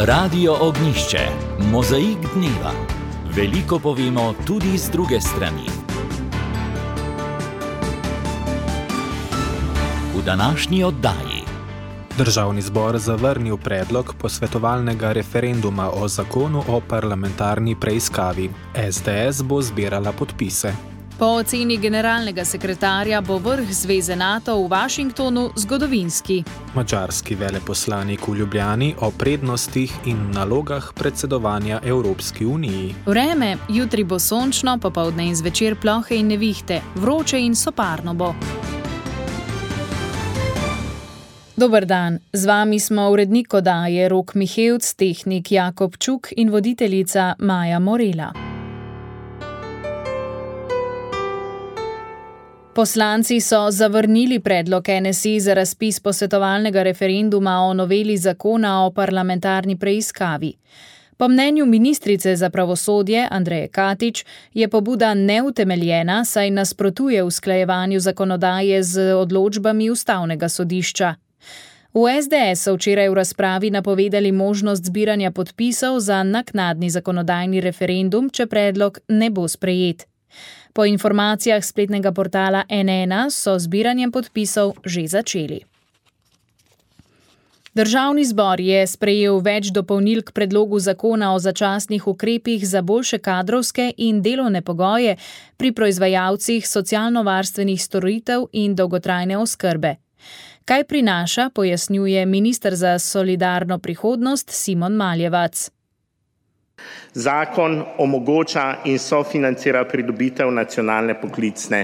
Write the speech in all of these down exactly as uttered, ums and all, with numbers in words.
Radio Ognjišče, mozaik dneva. Veliko povemo tudi z druge strani. V današnji oddaji. Državni zbor zavrnil predlog posvetovalnega referenduma o zakonu o parlamentarni preiskavi. es de es bo zbirala podpise. Po oceni generalnega sekretarja bo vrh Zveze NATO v Washingtonu zgodovinski. Madžarski veleposlanik v Ljubljani o prednostih in nalogah predsedovanja Evropski uniji. Vreme, jutri bo sončno, popoldne in zvečer plohe in nevihte, vroče in soparno bo. Dober dan, z vami smo urednik oddaje Rok Mihevc, tehnik Jakob Čuk in voditeljica Maja Morela. Poslanci so zavrnili predlog en es i za razpis posvetovalnega referenduma o noveli zakona o parlamentarni preiskavi. Po mnenju ministrice za pravosodje Andreje Katič je pobuda neutemeljena, saj nasprotuje usklajevanju zakonodaje z odločbami Ustavnega sodišča. V es de es so včeraj v razpravi napovedali možnost zbiranja podpisov za naknadni zakonodajni referendum, če predlog ne bo sprejet. Po informacijah spletnega portala en ena so zbiranjem podpisov že začeli. Državni zbor je sprejel več dopolnil k predlogu zakona o začasnih ukrepih za boljše kadrovske in delovne pogoje pri proizvajalcih socialno-varstvenih storitev in dolgotrajne oskrbe. Kaj prinaša, pojasnjuje minister za solidarno prihodnost Simon Maljevac. Zakon omogoča in sofinancira pridobitev nacionalne poklicne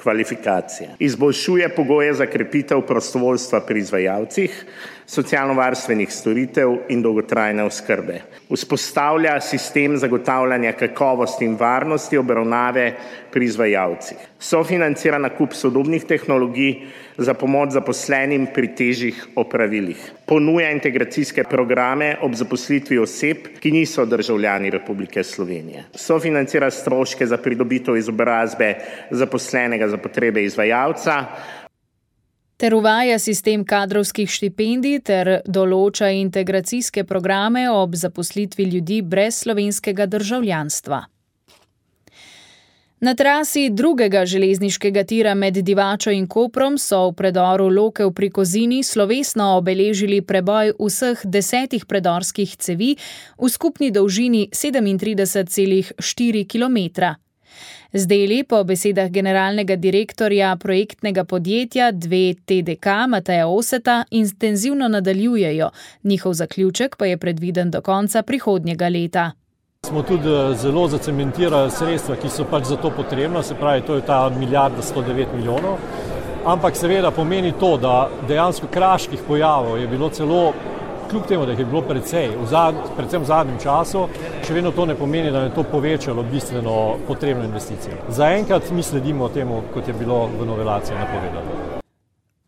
kvalifikacije. Izboljšuje pogoje za krepitev prostovoljstva pri izvajalcih, socialno-varstvenih storitev in dolgotrajne oskrbe. Vzpostavlja sistem zagotavljanja kakovosti in varnosti obravnave pri izvajalcih. Sofinancira nakup sodobnih tehnologij za pomoč zaposlenim pri težjih opravilih. Ponuja integracijske programe ob zaposlitvi oseb, ki niso državljani Republike Slovenije. Sofinancira stroške za pridobitev izobrazbe zaposlenega za potrebe izvajalca. Ter uvaja sistem kadrovskih štipendij ter določa integracijske programe ob zaposlitvi ljudi brez slovenskega državljanstva. Na trasi drugega železniškega tira med Divačo in Koprom so v predoru Lokev pri Kozini slovesno obeležili preboj vseh desetih predorskih cevi v skupni dolžini sedemintrideset celih štiri kilometra. Z deli po besedah generalnega direktorja projektnega podjetja dve te de ka Mateja Oseta intenzivno nadaljujejo, njihov zaključek pa je predviden do konca prihodnjega leta. Smo tudi zelo zacementirali sredstva, ki so pač za to potrebna, se pravi, to je ta milijarda sto devet milijonov, ampak seveda pomeni to, da dejansko kraških pojavov je bilo celo, kljub temu, da jih je bilo precej, v zad, predvsem v zadnjem času, še vedno to ne pomeni, da je to povečalo bistveno potrebno investicijo. Zaenkrat mi sledimo temu, kot je bilo v novelaciji napovedano.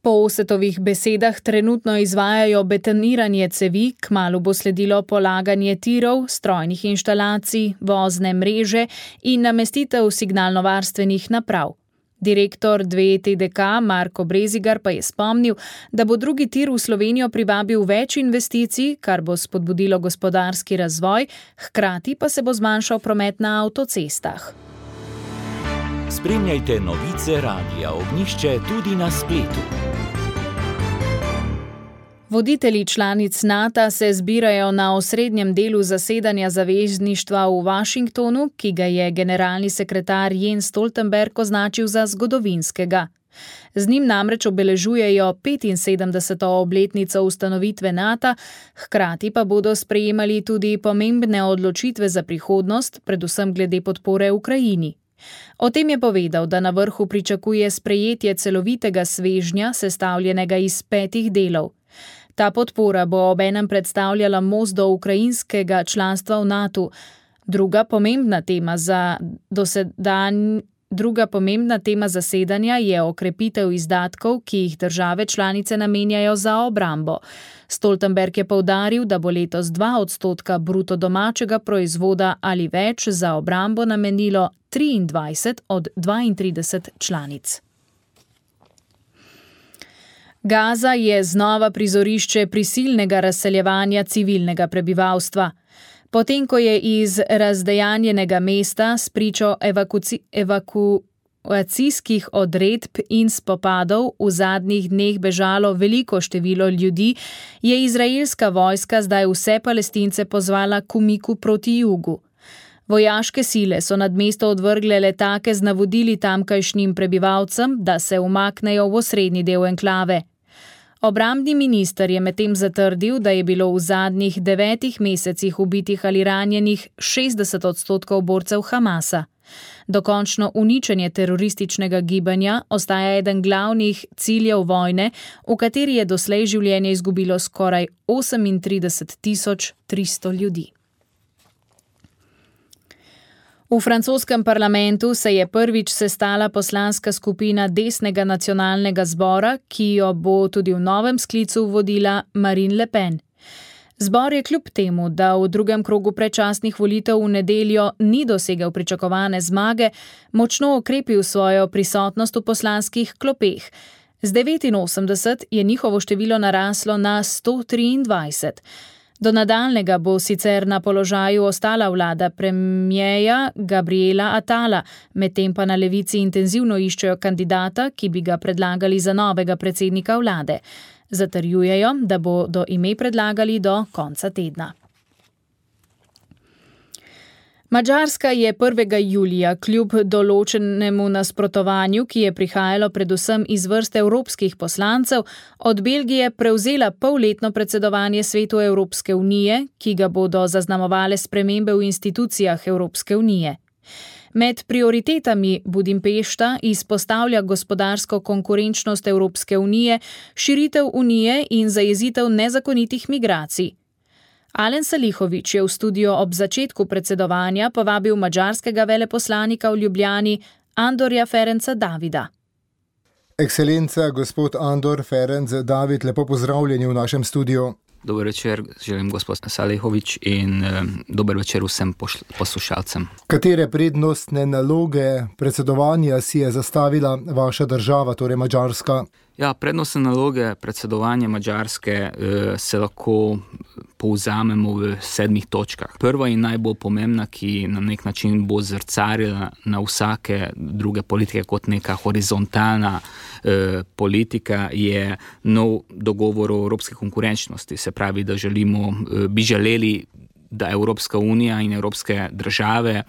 Po Osetovih besedah trenutno izvajajo betoniranje cevi, kmalu bo sledilo polaganje tirov, strojnih inštalacij, vozne mreže in namestitev signalnovarstvenih naprav. Direktor dve te de ka Marko Brezigar pa je spomnil, da bo drugi tir v Slovenijo privabil več investicij, kar bo spodbudilo gospodarski razvoj, hkrati pa se bo zmanjšal promet na avtocestah. Spremljajte novice Radia Ognjišče tudi na spletu. Voditelji članic NATO se zbirajo na osrednjem delu zasedanja zavezništva v Washingtonu, ki ga je generalni sekretar Jens Stoltenberg označil za zgodovinskega. Z njim namreč obeležujejo petinsedemdeseto obletnico ustanovitve NATO, hkrati pa bodo sprejemali tudi pomembne odločitve za prihodnost, predvsem glede podpore Ukrajini. O tem je povedal, da na vrhu pričakuje sprejetje celovitega svežnja, sestavljenega iz petih delov. Ta podpora bo obenem predstavljala most do ukrajinskega članstva v NATO. Druga pomembna tema za dosedanj, druga pomembna tema zasedanja je okrepitev izdatkov, ki jih države članice namenjajo za obrambo. Stoltenberg je poudaril, da bo letos dva odstotka bruto domačega proizvoda ali več za obrambo namenilo triindvajset od dvaintrideset članic. Gaza je znova prizorišče prisilnega razseljevanja civilnega prebivalstva. Potem, ko je iz razdejanjenega mesta spričo evakuci, evakuacijskih odredb in spopadov v zadnjih dneh bežalo veliko število ljudi, je izraelska vojska zdaj vse Palestince pozvala k umiku proti jugu. Vojaške sile so nad mesto odvrgle letake z navodili tamkajšnjim prebivalcem, da se umaknejo v osrednji del enklave. Obrambni minister je medtem zatrdil, da je bilo v zadnjih devetih mesecih ubitih ali ranjenih šestdeset odstotkov borcev Hamasa. Dokončno uničenje terorističnega gibanja ostaja eden glavnih ciljev vojne, v kateri je doslej življenje izgubilo skoraj osemintrideset tisoč tristo ljudi. V francoskem parlamentu se je prvič sestala poslanska skupina desnega nacionalnega zbora, ki jo bo tudi v novem sklicu vodila Marine Le Pen. Zbor je kljub temu, da v drugem krogu predčasnih volitev v nedeljo ni dosegel pričakovane zmage, močno okrepil svojo prisotnost v poslanskih klopeh. Z devetinosemdeset je njihovo število naraslo na sto triindvajset. Do nadaljnega bo sicer na položaju ostala vlada premierja Gabriela Attala, medtem pa na levici intenzivno iščejo kandidata, ki bi ga predlagali za novega predsednika vlade. Zatrjujejo, da bodo ime predlagali do konca tedna. Madžarska je prvega julija kljub določenemu nasprotovanju, ki je prihajalo predvsem iz vrst evropskih poslancev, od Belgije prevzela polletno predsedovanje Svetu Evropske unije, ki ga bodo zaznamovale spremembe v institucijah Evropske unije. Med prioritetami Budimpešta izpostavlja gospodarsko konkurenčnost Evropske unije, širitev unije in zajezitev nezakonitih migracij. Alen Salihović je v studio ob začetku predsedovanja povabil madžarskega veleposlanika v Ljubljani Andorja Ferenca Davida. Ekscelenca, gospod Andor Ferenc David, lepo pozdravljeni v našem studiu. Dober večer, želim gospod Salihović in eh, dober večer vsem poslušalcem. Katere prednostne naloge predsedovanja si je zastavila vaša država, torej Madžarska? Ja, prednostne naloge predsedovanja Madžarske eh, se lahko povzamemo v sedmih točkah. Prva in najbolj pomembna, ki na nek način bo zrcarila na vsake druge politike kot neka horizontalna eh, politika, je nov dogovor o evropski konkurenčnosti. Se pravi, da želimo, eh, bi želeli, da Evropska unija in evropske države,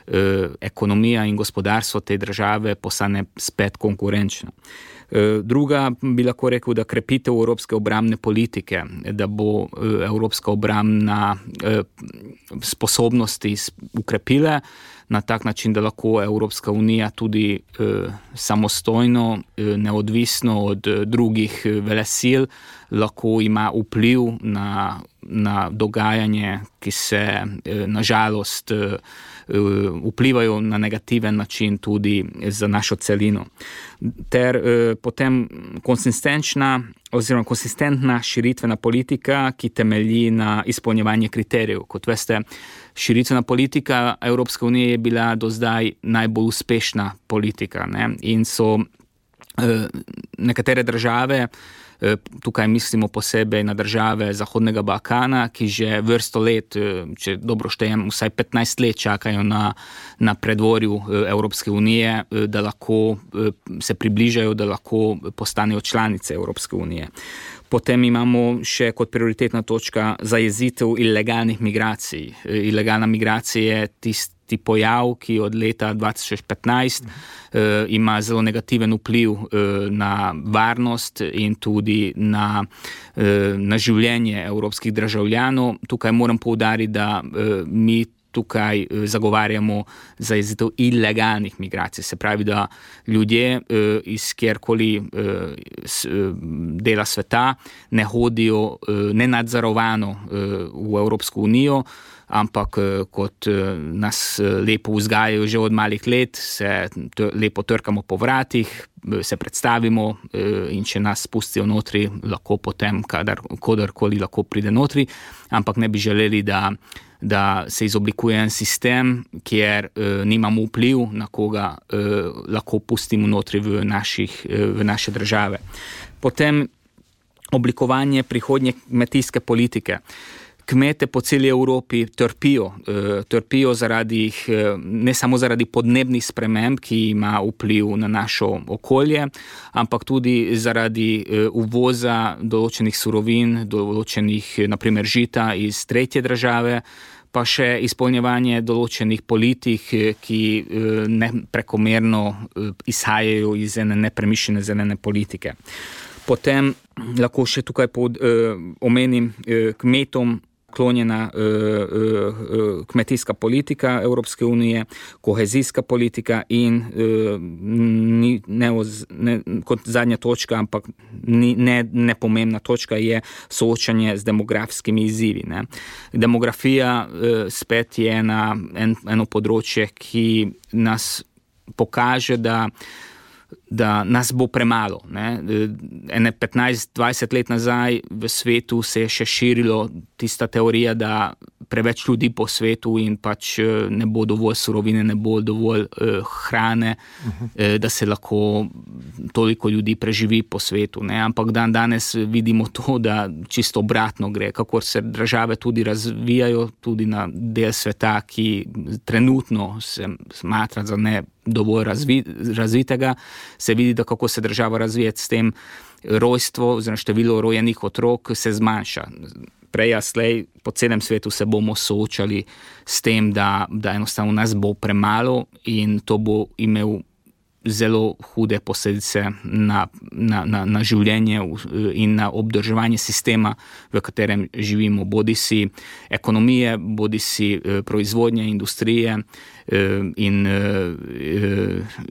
eh, ekonomija in gospodarstvo te države postane spet konkurenčno. Druga bi lahko rekel, da krepitev evropske obrambne politike, da bo evropska obrambna sposobnosti ukrepile na tak način, da lahko Evropska unija tudi samostojno, neodvisno od drugih velesil, lahko ima vpliv na, na dogajanje, ki se nažalost vplivajo na negativen način tudi za našo celino. Ter eh, potem konsistenčna oziroma konsistentna širitvena politika, ki temelji na izpolnjevanju kriterijev. Kot veste, širitvena politika Evropske unije je bila do zdaj najbolj uspešna politika, ne? In so eh, nekatere države, tukaj mislimo posebej na države Zahodnega Balkana, ki že vrsto let, če dobro štejem, vsaj petnajst let čakajo na, na predvorju Evropske unije, da lahko se približajo, da lahko postanejo članice Evropske unije. Potem imamo še kot prioritetna točka zajezitev ilegalnih migracij. Ilegalna migracija je tisti pojav, ki od leta dva tisoč petnajst eh, ima zelo negativen vpliv eh, na varnost in tudi na, eh, na življenje evropskih državljanov. Tukaj moram poudariti, da eh, mi tukaj zagovarjamo zajezitev ilegalnih migracij. Se pravi, da ljudje eh, iz kjerkoli eh, s, eh, dela sveta ne hodijo eh, nenadzorovano eh, v Evropsko unijo, ampak kot nas lepo vzgajajo že od malih let, se lepo trkamo po vratih, se predstavimo in če nas spustijo notri, lahko potem kadar, kodarkoli lahko pride notri, ampak ne bi želeli, da, da se izoblikuje en sistem, kjer eh, nimamo vpliv na koga eh, lahko pustimo notri v, naših, eh, v naše države. Potem oblikovanje prihodnje kmetijske politike. Kmete po celi Evropi trpijo, trpijo zaradi, ne samo zaradi podnebnih sprememb, ki ima vpliv na našo okolje, ampak tudi zaradi uvoza določenih surovin, določenih, naprimer žita iz tretje države, pa še izpolnjevanje določenih politik, ki ne prekomerno izhajajo iz ene nepremišljene zelene politike. Potem lahko še tukaj pod, eh, omenim eh, kmetom klonjena eh, eh, kmetijska politika Evropske unije, kohezijska politika in eh, ni, ne, ne, kot zadnja točka, ampak ni, ne, nepomembna točka je soočanje z demografskimi izzivi. Ne. Demografija eh, spet je ena, en, eno področje, ki nas pokaže, da da nas bo premalo. Ne. Ene petnajst dvajset let nazaj v svetu se je še širilo tista teorija, da preveč ljudi po svetu in pač ne bo dovolj surovine, ne bo dovolj uh, hrane, uh-huh. eh, da se lahko toliko ljudi preživi po svetu. Ne. Ampak dan danes vidimo to, da čisto obratno gre, kakor se države tudi razvijajo, tudi na del sveta, ki trenutno se smatra za ne dovolj razvi, razvitega, se vidi, da kako se država razvija, s tem rojstvo, oziroma število rojenih otrok se zmanjša. Prej a slej po celem svetu se bomo soočali s tem, da, da enostavno nas bo premalo in to bo imel zelo hude posledice na, na, na, na življenje in na obdrževanje sistema, v katerem živimo, bodi si ekonomije, bodi si proizvodnje, industrije in,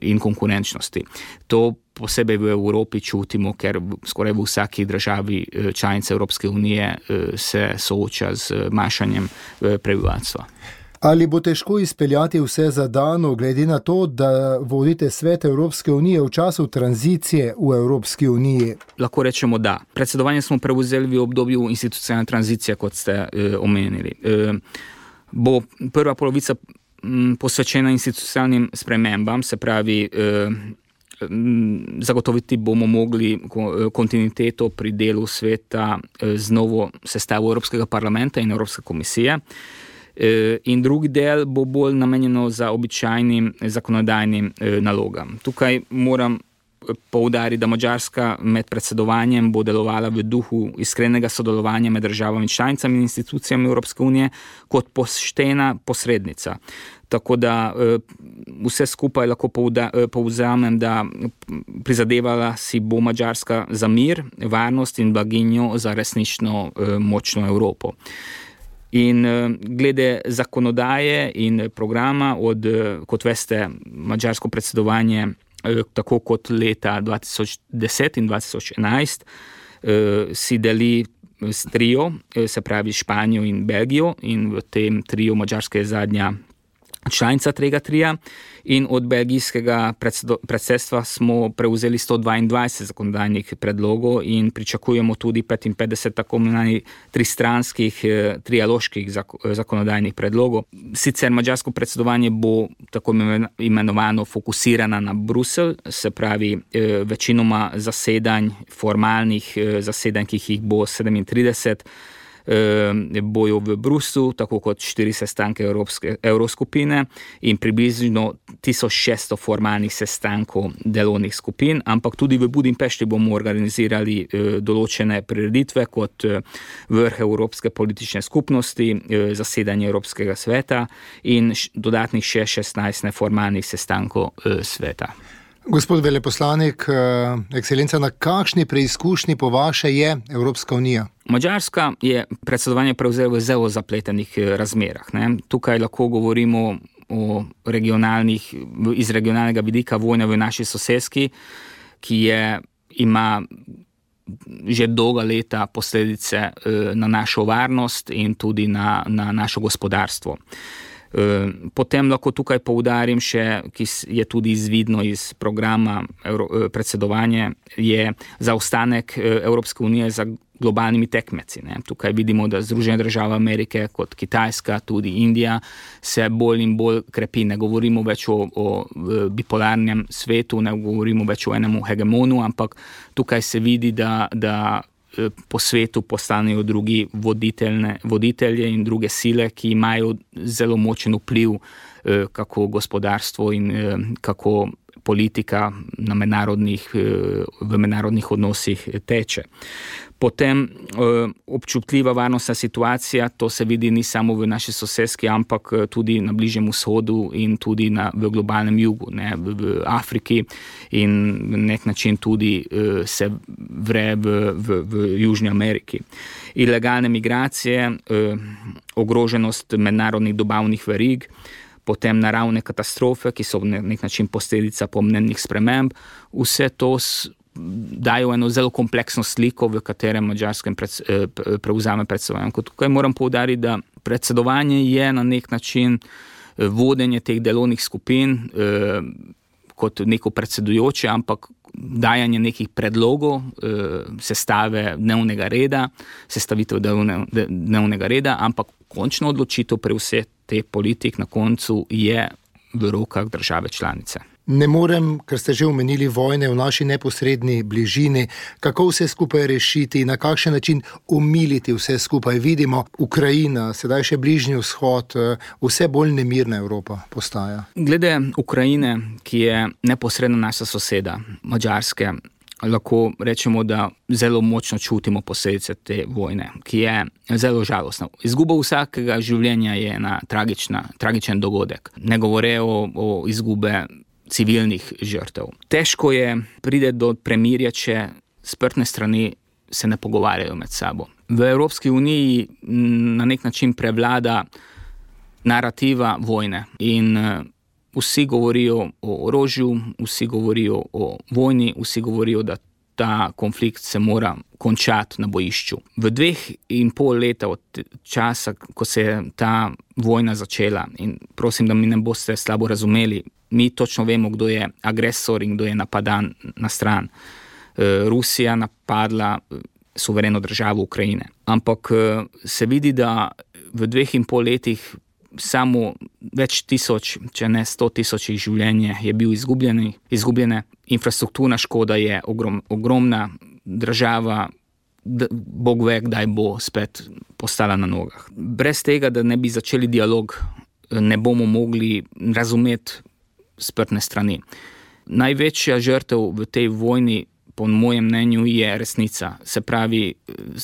in konkurenčnosti. To posebej v Evropi čutimo, ker skoraj v vsaki državi članice Evropske unije se sooča z manjšanjem prebivalstva. Ali bo težko izpeljati vse zadano, glede na to, da vodite Svet Evropske unije v času tranzicije v Evropski uniji? Lahko rečemo da. Predsedovanje smo prevzeli v obdobju institucionalne tranzicije, kot ste eh, omenili. Eh, bo prva polovica m, posvečena institucionalnim spremembam, se pravi, eh, m, zagotoviti bomo mogli kontinuiteto pri delu sveta eh, z novo sestavo Evropskega parlamenta in Evropske komisije. In drugi del bo bolj namenjeno za običajnim zakonodajnim nalogam. Tukaj moram poudariti, da Madžarska med predsedovanjem bo delovala v duhu iskrenega sodelovanja med državami članicami in institucijami Evropske unije kot poštena posrednica. Tako da vse skupaj lahko povzamem, da prizadevala si bo Madžarska za mir, varnost in blaginjo za resnično močno Evropo. In glede zakonodaje in programa, od, kot veste, madžarsko predsedovanje, tako kot leta dva tisoč deset in dva tisoč enajst, si deli s trio, se pravi Španijo in Belgijo, in v tem trio Madžarska je zadnja članica tega trija, in od belgijskega predsedstva smo prevzeli sto dvaindvajset zakonodajnih predlogov in pričakujemo tudi petinpetdeset tako imenovanih tristranskih, trialoških zakonodajnih predlogov. Sicer madžarsko predsedovanje bo tako imenovano fokusirana na Bruselj, se pravi večinoma zasedanj, formalnih zasedanj, ki jih bo sedemintrideset, bojo v Bruslu, tako kot štiri sestanke Evropske, Evroskupine in približno tisoč šeststo formalnih sestankov delovnih skupin, ampak tudi v Budimpešti bomo organizirali eh, določene prireditve kot eh, vrh Evropske politične skupnosti, eh, zasedanje Evropskega sveta in š, dodatnih še šestnajst neformalnih sestankov eh, sveta. Gospod veleposlanik, ekscelenca, na kakšni preizkušnji po vaše je Evropska unija? Madžarska je predsedovanje prevzela v zelo zapletenih razmerah. Ne. Tukaj lahko govorimo o regionalnih, iz regionalnega vidika vojne v naši soseski, ki je, ima že dolga leta posledice na našo varnost in tudi na, na našo gospodarstvo. Potem lahko tukaj poudarim še, ki je tudi izvidno iz programa predsedovanja, je zaostanek Evropske unije za globalnimi tekmeci. Ne. Tukaj vidimo, da Združene države Amerike kot Kitajska, tudi Indija se bolj in bolj krepi. Ne govorimo več o, o bipolarnem svetu, ne govorimo več o enemu hegemonu, ampak tukaj se vidi, da, da po svetu postanejo drugi voditelje in druge sile, ki imajo zelo močen vpliv, kako gospodarstvo in kako politika na mednarodnih, v mednarodnih odnosih teče. Potem občutljiva varnostna situacija, to se vidi ni samo v naši soseski, ampak tudi na Bližnjem vzhodu in tudi na, v globalnem jugu, ne, v, v Afriki in na nek način tudi se vre v, v, v Južni Ameriki. Ilegalne migracije, ogroženost mednarodnih dobavnih verig, potem naravne katastrofe, ki so na nek način posledica podnebnih sprememb, vse to dajo eno zelo kompleksno sliko, v katerem Madžarska prevzame predsedovanje. Tukaj moram poudariti, da predsedovanje je na nek način vodenje teh delovnih skupin kot neko predsedujoče, ampak dajanje nekih predlogov, sestave dnevnega reda, sestavitev dnevnega reda, ampak končno odločitev pri vseh te politik na koncu je v rokah države članice. Ne morem, ker ste že omenili vojne v naši neposredni bližini, kako vse skupaj rešiti, na kakšen način umiliti vse skupaj. Vidimo, Ukrajina, sedaj še Bližnji vzhod, vse bolj nemirna Evropa postaja. Glede Ukrajine, ki je neposredno naša soseda, Madžarske, lahko rečemo, da zelo močno čutimo posledice te vojne, ki je zelo žalostna. Izguba vsakega življenja je ena tragična, tragičen dogodek. Ne govore o, o izgube civilnih žrtev. Težko je pride do premirja, če sprtne strani se ne pogovarjajo med sabo. V Evropski uniji na nek način prevlada narativa vojne in vsi govorijo o orožju, vsi govorijo o vojni, vsi govorijo, da ta konflikt se mora končati na bojišču. V dveh in pol leta od časa, ko se je ta vojna začela, in prosim, da mi ne boste slabo razumeli, mi točno vemo, kdo je agresor in kdo je napadan na stran. Rusija napadla suvereno državo Ukrajine. Ampak se vidi, da v dveh in pol letih samo več tisoč, če ne sto tisočih življenje je bil izgubljeni, izgubljene. Infrastrukturna škoda je ogrom, ogromna, država, Bog ve, kdaj bo spet postala na nogah. Brez tega, da ne bi začeli dialog, ne bomo mogli razumeti sprtne strani. Največja žrtev v tej vojni, po mojem mnenju, je resnica. Se pravi,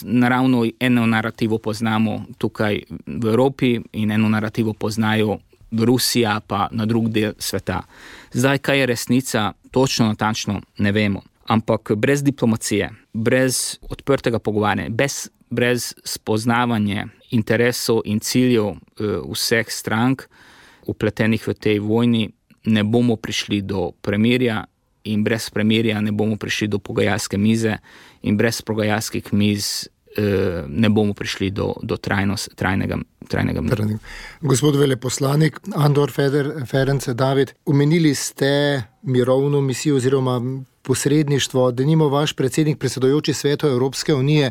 naravno eno narativo poznamo tukaj v Evropi in eno narativo poznajo v Rusiji, pa na drug del sveta. Zdaj, kaj je resnica, točno natančno ne vemo. Ampak brez diplomacije, brez odprtega pogovarjanja, brez, brez spoznavanja interesov in ciljev eh, vseh strank upletenih v tej vojni, ne bomo prišli do premirja in brez premirja ne bomo prišli do pogajalske mize in brez pogajalskih miz eh, ne bomo prišli do, do trajnost, trajnega, trajnega miru. Gospod veleposlanik Andor Ferenc David, omenili ste mirovno misijo oziroma posredništvo, denimo vaš predsednik predsedujoči Svetu Evropske unije,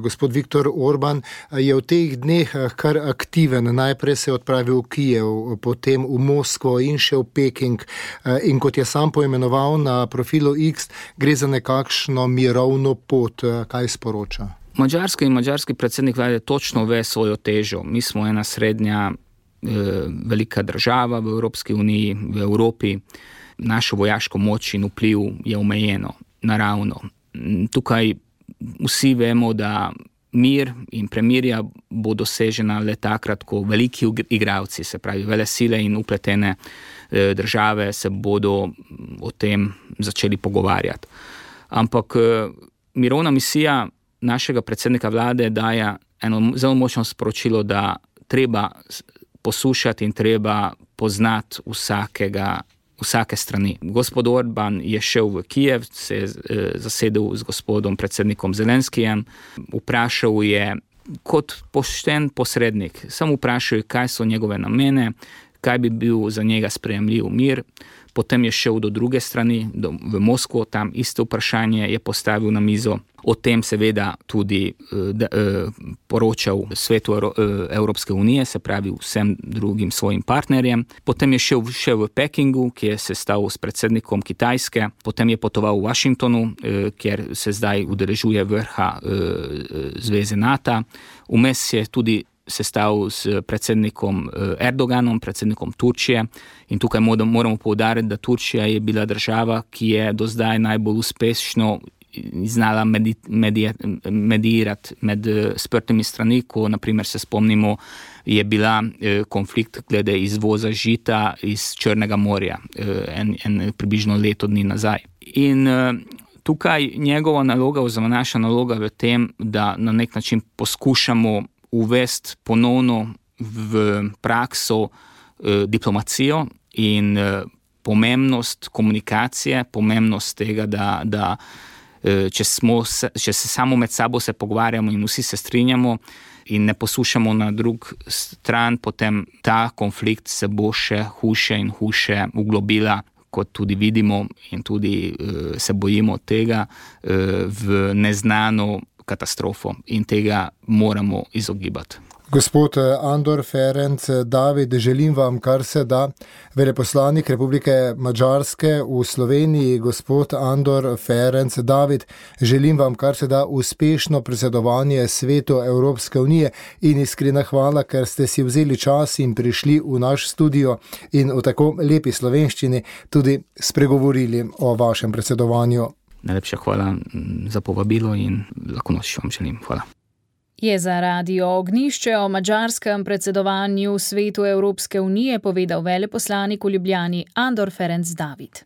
gospod Viktor Orban, je v teh dneh kar aktiven. Najprej se je odpravil v Kijev, potem v Moskvo in še v Peking. In kot je sam poimenoval na profilu X, gre za nekakšno mirovno pot. Kaj sporoča? Madžarski in madžarski predsednik vlade točno ve svojo težo. Mi smo ena srednja eh, velika država v Evropski uniji, v Evropi. Našo vojaško moč in vpliv je omejeno, naravno. Tukaj vsi vemo, da mir in premirja bo dosežena le takrat, ko veliki igralci, se pravi velesile in upletene države, se bodo o tem začeli pogovarjati. Ampak mirovna misija našega predsednika vlade daje eno zelo močno sporočilo, da treba poslušati in treba poznati vsakega vsake strani. Gospod Orban je šel v Kijev, se je zasedel z gospodom predsednikom Zelenskijem, vprašal je kot pošten posrednik, samo vprašal je, kaj so njegove namene, kaj bi bil za njega sprejemljiv mir. Potem je šel do druge strani, do, v Moskvo, tam isto vprašanje je postavil na mizo. O tem seveda tudi de, de, poročal Svetu Evropske unije, se pravi vsem drugim svojim partnerjem. Potem je šel še v Pekingu, ki je sestal s predsednikom Kitajske. Potem je potoval v Washingtonu, kjer se zdaj udeležuje vrha Zveze NATO. Vmes je tudi sestal s predsednikom Erdoganom, predsednikom Turčije. In tukaj moramo poudariti, da Turčija je bila država, ki je do zdaj najbolj uspešno znala medi, medi, medijirati med sprtimi strani, ko naprimer se spomnimo, je bila konflikt glede izvoza žita iz Črnega morja, en, en približno leto dni nazaj. In tukaj njegova naloga, oziroma naša naloga v tem, da na nek način poskušamo uvesti ponovno v prakso eh, diplomacijo in eh, pomembnost komunikacije, pomembnost tega, da, da eh, če, smo, če se samo med sabo se pogovarjamo in vsi se strinjamo in ne poslušamo na drug stran, potem ta konflikt se bo še hujše in hujše uglobila, kot tudi vidimo in tudi eh, se bojimo tega, eh, v neznano katastrofo in tega moramo izogibati. Gospod Andor Ferenc David, želim vam, kar se da. Veleposlanik Republike Madžarske v Sloveniji, gospod Andor Ferenc David, želim vam, kar se da, uspešno predsedovanje Svetu Evropske unije in iskrena hvala, ker ste si vzeli čas in prišli v naš studio in v tako lepi slovenščini tudi spregovorili o vašem predsedovanju. Najlepša hvala za povabilo in lahko noč vam želim. Hvala. Je za Radio Ognjišče o madžarskem predsedovanju Svetu Evropske unije povedal veleposlanik v Ljubljani Andor Ferenc David.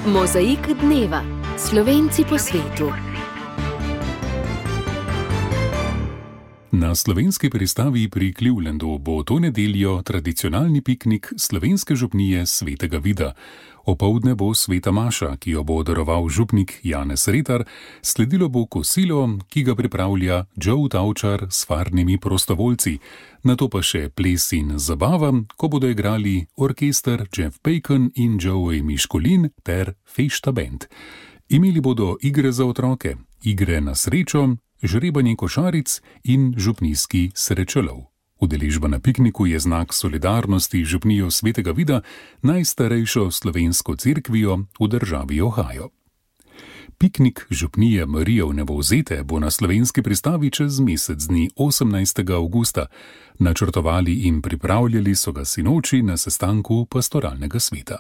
Mozaik dneva. Slovenci po svetu. Na slovenski pristavi pri Clevelandu bo to nedeljo tradicionalni piknik slovenske župnije Svetega Vida. Opoldne bo sveta maša, ki jo bo daroval župnik Janez Retar, sledilo bo kosilo, ki ga pripravlja Joe Tavčar s farnimi prostovoljci, nato pa še ples in zabava, ko bodo igrali orkester Jeff Bacon in Joey Miškolin ter Fešta Band. Imeli bodo igre za otroke, igre na srečo, žrebanje košaric in župnijski srečelov. Udeležba na pikniku je znak solidarnosti župnijo Svetega Vida, najstarejšo slovensko cerkvijo v državi Ohio. Piknik župnije Marije Vnebovzete bo na slovenski pristavi čez mesec dni osemnajstega avgusta. Načrtovali in pripravljali so ga sinoči na sestanku pastoralnega sveta.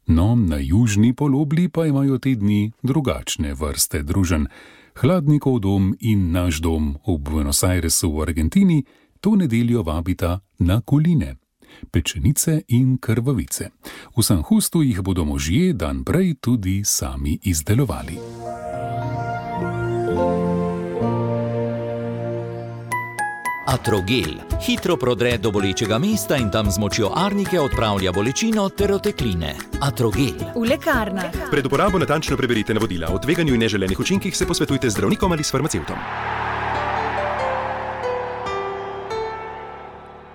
No, na južni polobli pa imajo te dni drugačne vrste druženj. Hladnikov dom in naš dom v Buenos Airesu v Argentini to nedeljo vabita na koline, pečenice in krvavice. V San Justu jih bodo možje dan prej tudi sami izdelovali. Atrogel hitro prodre do bolečega mesta in tam z močjo arnike odpravlja bolečino ter otekline. Atrogel. V lekarnah. Pred uporabo natančno preberite navodila. O tveganju in neželenih učinkih se posvetujte z zdravnikom ali s farmacevtom.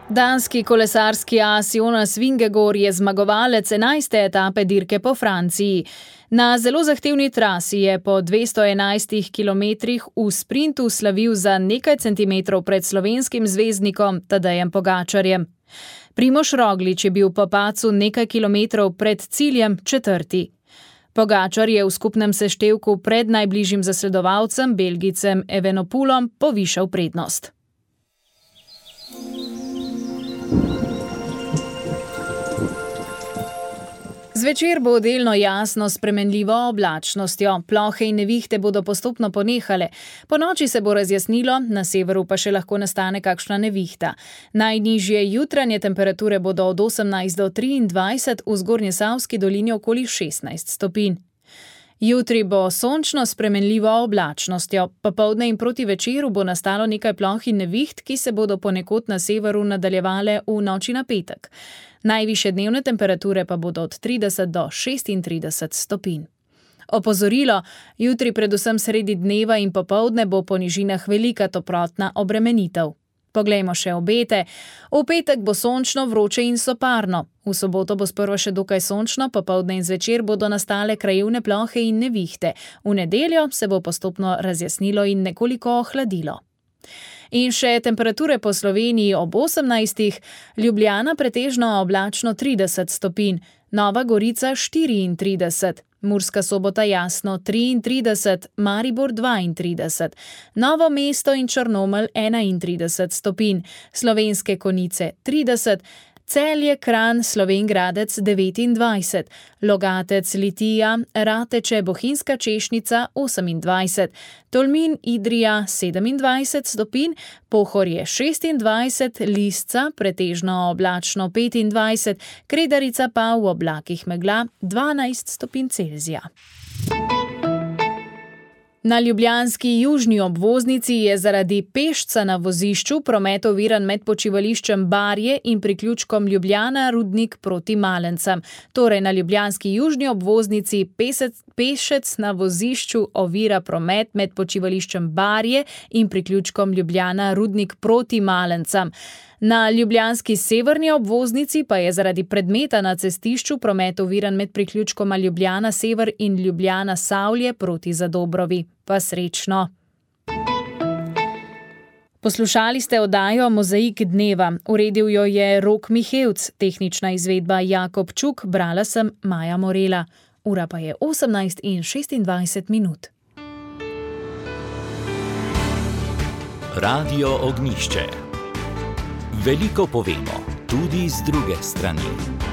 Danski kolesarski as Jonas Vingegaard je zmagovalec enajste etape dirke po Franciji. Na zelo zahtevni trasi je po dvesto enajstih kilometrih v sprintu slavil za nekaj centimetrov pred slovenskim zvezdnikom Tadejem Pogačarjem. Primož Roglič je bil po padcu nekaj kilometrov pred ciljem četrti. Pogačar je v skupnem seštevku pred najbližjim zasledovalcem, Belgijcem Evenepoelom, povišal prednost. Zvečer bo delno jasno s spremenljivo oblačnostjo. Plohe in nevihte bodo postopno ponehale. Po noči se bo razjasnilo, na severu pa še lahko nastane kakšna nevihta. Najnižje jutranje temperature bodo od osemnajst do triindvajset, v Zgornjesavski dolini okoli šestnajst stopinj. Jutri bo sončno s spremenljivo oblačnostjo. Popoldne in proti večeru bo nastalo nekaj ploh in neviht, ki se bodo ponekod na severu nadaljevale v noči na petek. Najvišje dnevne temperature pa bodo od trideset do šestintrideset stopinj. Opozorilo, jutri predvsem sredi dneva in popoldne bo po nižinah velika toplotna obremenitev. Poglejmo še obete. V petek bo sončno, vroče in soparno. V soboto bo sprva še dokaj sončno, popoldne in zvečer bodo nastale krajevne plohe in nevihte. V nedeljo se bo postopno razjasnilo in nekoliko ohladilo. In še temperature po Sloveniji ob osemnajstih, Ljubljana pretežno oblačno trideset stopinj, Nova Gorica štiriintrideset, Murska Sobota jasno triintrideset, Maribor dvaintrideset, Novo mesto in Črnomelj enaintrideset stopinj, Slovenske Konjice trideset, Celje, Kranj, Slovenj Gradec devetindvajset, Logatec, Litija, Rateče, Bohinjska Češnica osemindvajset, Tolmin, Idrija sedemindvajset stopinj, Pohorje šestindvajset, Lisca pretežno oblačno petindvajset, Kredarica pa v oblakih megla dvanajst stopinj Celzija. Na ljubljanski južni obvoznici je zaradi pešca na vozišču promet oviran med počivališčem Barje in priključkom Ljubljana Rudnik proti Malencem. Torej na ljubljanski južni obvoznici pesec, pešec na vozišču ovira promet med počivališčem Barje in priključkom Ljubljana Rudnik proti Malencem. Na ljubljanski severni obvoznici pa je zaradi predmeta na cestišču promet oviran med priključkoma Ljubljana Sever in Ljubljana Savlje proti Zadobrovi. Pa srečno! Poslušali ste oddajo Mozaik dneva. Uredil jo je Rok Mihevc, tehnična izvedba Jakob Čuk, brala sem Maja Morela. Ura pa je osemnajst in šestindvajset minut. Radio Ognjišče. Veliko povemo, tudi z druge strani.